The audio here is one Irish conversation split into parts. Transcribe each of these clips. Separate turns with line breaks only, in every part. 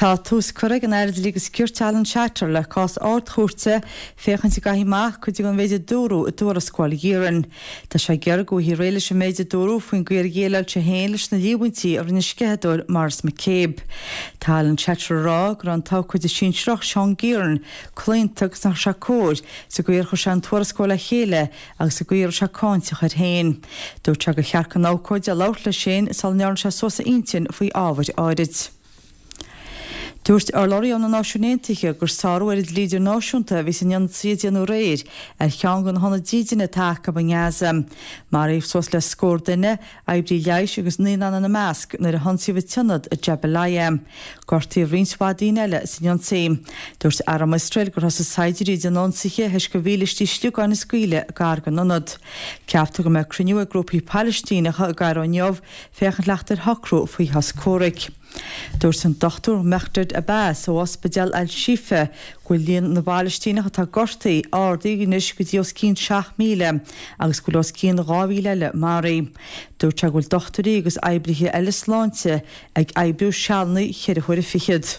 Tá tús curtha ag an Aire Dlí agus Cirt Alan Shatter le cás Ard-Chúirte féachaint an gcaithfí amach cuid den mhéid a dúradh i dtuarascáil Ghearan. Tá sé ag iarraidh go bhfaighfí réidh leis an méid a dúradh faoin gcaoi ar dhéileáil sé féin leis na líomhaintí a rinne an sceitheadóir Maurice McCabe. Tá Alan Shatter ag rá go raibh an t-abhcóide sinsearach Seán Gearan claonta agus nach raibh sé cóir sa gcaoi ar chuir sé an tuarascáil le chéile agus sa gcaoi a raibh sé cáinteach air féin. Dúirt sé gur cheart don abhcóide labhairt leis féin sula ndearna sé suas a intinn faoi ábhair áirid. Dúirt urlabhraí ó na Náisiúin Aontaithe gur sárú ar an dlí idirnáisiúnta a bhí san ionsaí a déanadh aréir ar cheann de na hionaid dídine atá acu i nGaza. Maraíodh suas le scór duine, oibrí leighis agus naíonáin ina measc, nuair a hionsaíodh an t-ionad i Jabalia. Gortaíodh roinnt mhaith daoine eile san ionsaí. Dúirt arm Iosrael gur thosaigh saighdiúirí ag déanamh ionsaithe thoisc gur mhílístí sliogáin a scaoileadh gar don ionad. Ceaptar go mbeidh cruinniú ag grúpaí Palaistíneacha i gCairo inniu féachaint le theacht ar shocrú faoi shos comhraic. Dúirt an Dr Mehrdad Abbas ó Ospidéal Al-Shifa go bhfuil líon na bPalaistíneach atá gortaithe ardaithe anois go dtí os cionn 7,000 agus go bhfuil os cionn 2,000 eile maraithe. Dúirt sé go bhfuil dochtúirí agus oibrithe eile sláinte ag oibriú sealanna cheithre huaire fichead.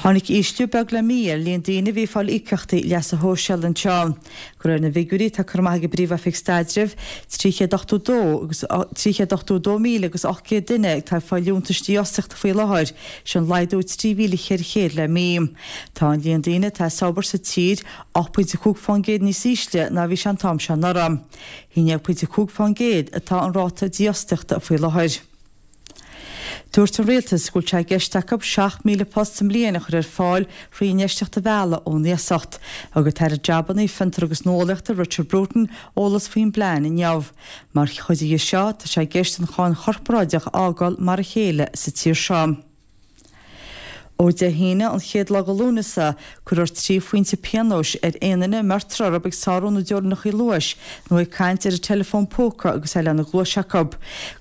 Tháinig ísliú beag le mí ar líon daoine a bhí ag fáil íocaíochtaí leasa shóisialaigh anseo. De réir na bhfigiúirí atá curtha amach ag an bPríomh-Oifig Staidrimh, 382 agus 382,000 agus 800 duine atá ag fáil liúntais dífhostaíochta faoi láthair, sin laghdú 3,400 le mí. Tá an líon daoine atá as obair sa tír 8.5% níos ísle ná a bhí sé an t-am seo anuraidh. 11.5% atá an ráta dífhostaíochta faoi láthair. Dúirt an Rialtas go bhfuil sé i gceist acu 7,000 post sa mbliain a chur ar fáil thrí infheistíocht a mhealladh ón iasacht. Thug an tAire Jabanna, Fiontar agus Nuálaíochta Richard Bruton eolas faoin bplean inniu. Mar chuid dhe seo, tá sé i gceist an cháin chorparáideach a fhágáil mar a chéile sa tír seo. Ó Dé hAoine, an chéad lá de Lúnasa, cuirfear 3 phointe pionóis ar aon duine a mbeirtear orthu ag sárú na dteorainneacha luais nó ag caint ar an teileafón póca agus é lena gcluais acu.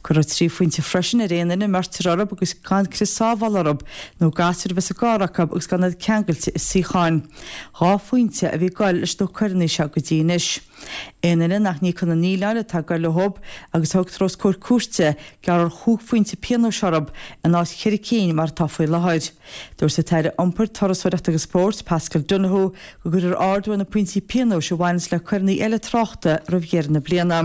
Cuirfear 3 phointe freisin ar aon duine a mbeirtear orthu agus gan crios sábhála orthu nó gasúir a bheith sa gcarr acu agus gan iad ceangailte i suíocháin. 2 phointe a bhí ag goil leis na coireanna seo go dtí anois. Aon duine nach n-íocann na míleáin atá ag goil leo agus a thugtar os comhair cúirte, gearrfar chúig phointe pionóis orthu in áit cheithre cinn mar atá faoi láthair. Dúirt an tAire Iompair, Turasóireachta agus Spóirt, Paschal Donohoe, go gcuirfear ardú ar na pointí pionóis a bhaineanns le coireanna eile tráchta roimh dheireadh na bliana.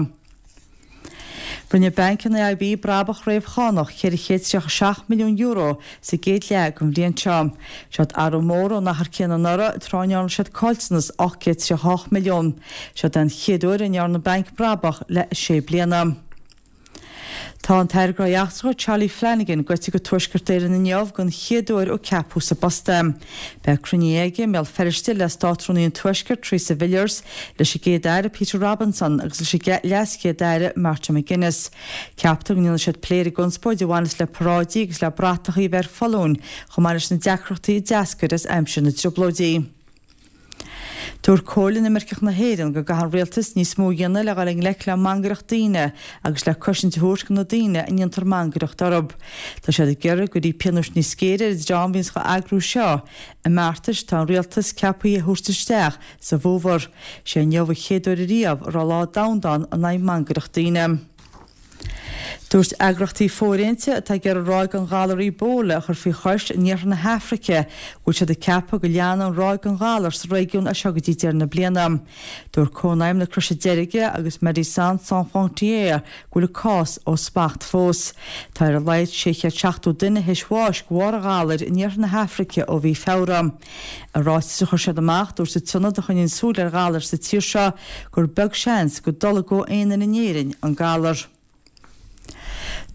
Rinne banc an AIB brabach réamhchánach €437 milliún sa gcéad leath den bhliain seo. Seod athrú mór ón achar céanna anuraidh, tráth a ndearna siad caillteanas 838 milliún. Seod é an chéad uair a ndearna an banc brabach le sé bliana. Tá an tAire Gnóthaí Eachtracha Charlie Flanagan gaibhte go Tuaisceart Éireann inniu den chéad uair ó ceapadh sa bpost é. Beidh cruinnithe aige i mBéal Feirste le Státrúnaí an Tuaiscirt, Theresa Villiers, leis an gCéad-Aire Peter Robinson agus leis an LeasChéad-Aire Martin McGuinness. Ceaptar go ndéanfaidh siad plé ar an gconspóid a bhaineas le paráidí agus le bratachaí a bheith ar foluain chomh maith leis na deacrachtaí a d'eascair as aimsir na dTrioblóidí. Dúirt Comhairle Inimirceach na hÉireann go gcaithfidh an rialtas níos mó a dhéanamh le dhul i ngleic le mangaireacht daoine agus le cosaint a thabhairt do na daoine a ndéantar mangaireacht orthu. Tá siad ag iarraidh go gcuirfí pionóis níos géire ar an dream a bhíonns á eagrú seo, i mbeartais atá an rialtas ceaptha a thabhairt isteach sa bhfómhar. Sé inniu an chéad uair ariamh a raibh lá domhanda ann in aghaidh mangaireacht daoine. Dúirt eagraíochtaí fóirithinte atá ag iarraidh ráig an ghalair Ebola a chur faoi chois in iarthar na hAfraice go bhfuil siad ag ceapadh go leanfaidh an ráig den ghalar sa réigiún as seo go dtí deireadh na bliana. Dúirt Cónaidhm na Croise Deirge agus Médecins Sans Frontières go bhfuil an cás ó smacht fós. Tá ar a laghad 670 duine théis bháis de bharr an ghalair in iarthar na hAfraice ó mhí Feabhra. I ráiteas a chuir siad amach, dúirt an t-ionad a choinníonn súil ar ghalair sa tír seo gur beag seans go dtolgfadh aon duine in Éirinn an galar.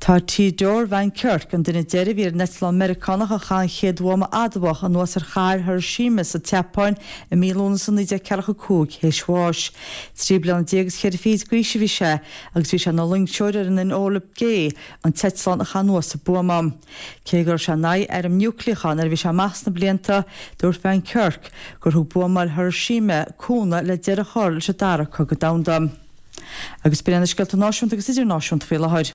Tá Theodore Van Kirk, an duine deiridh a bhí ar an eitleán Meiriceánach a chaith an chéad bhuama adamhach anuas ar chathair Hiroshima sa tSeapáin i mí Lúnasa 1945, théis bháis. 13 bliana is cheithre fichid d'aois a bhí sé agus bhí sé ina loingseoir ar an Enola Gay, an t-eitleán a chaith anuas an buama. Cé go raibh sé in aghaidh airm núicléacha nuair a bhí sé amach sna blianta, dúirt Van Kirk gur thug buamáil Hiroshima cúnamh le deireadh a chur leis an Dara Cogadh Domhanda. Agus b'in iad na scéalta náisiúnta agus idirnáisiúnta faoi láthair.